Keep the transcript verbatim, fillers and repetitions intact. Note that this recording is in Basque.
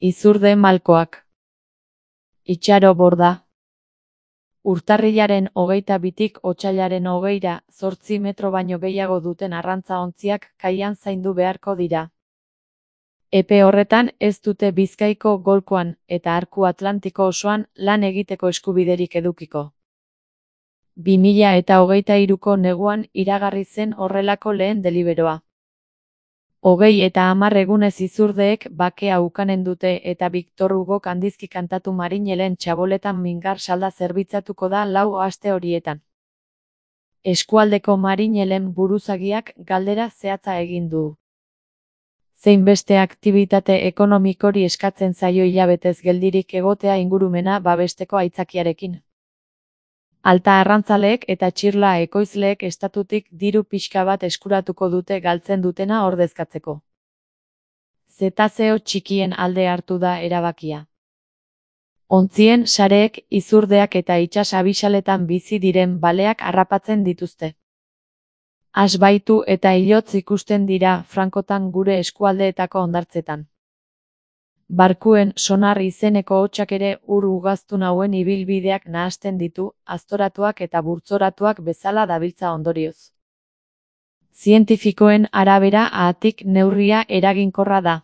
Izurde malkoak. Itxaro borda. Urtarrilaren hogeita bitik otsailaren hogeira, zortzi metro baino gehiago duten arrantza-ontziak kaian zaindu beharko dira. Epe horretan ez dute Bizkaiko golkoan eta arku atlantiko osoan lan egiteko eskubiderik edukiko. bi mila eta hogeita hiruko neguan iragarri zen horrelako lehen deliberoa. Hogei eta hamar egunez izurdeek bakea ukanen dute eta Victor Hugo kandizki kantatu marinelen txaboletan mingar salda zerbitzatuko da lau aste horietan. Eskualdeko marinelen buruzagiak galdera zehatza egin du. Zein beste aktibitate ekonomikori eskatzen zaio hilabetez geldirik egotea ingurumena babesteko aitzakiarekin. Alta arrantzaleek eta txirla ekoizleek estatutik diru pixka bat eskuratuko dute galtzen dutena ordezkatzeko. Zetazeo txikien alde hartu da erabakia. Ontzien sareek izurdeak eta itsas abisaletan bizi diren baleak harrapatzen dituzte. Asbaitu eta ilotz ikusten dira frankotan gure eskualdeetako hondartzetan. Barkuen sonar izeneko hotsak ere ur ugaztun hauen ibilbideak nahasten ditu, aztoratuak eta burtzoratuak bezala dabiltza ondorioz. Zientifikoen arabera, haatik neurria eraginkorra da.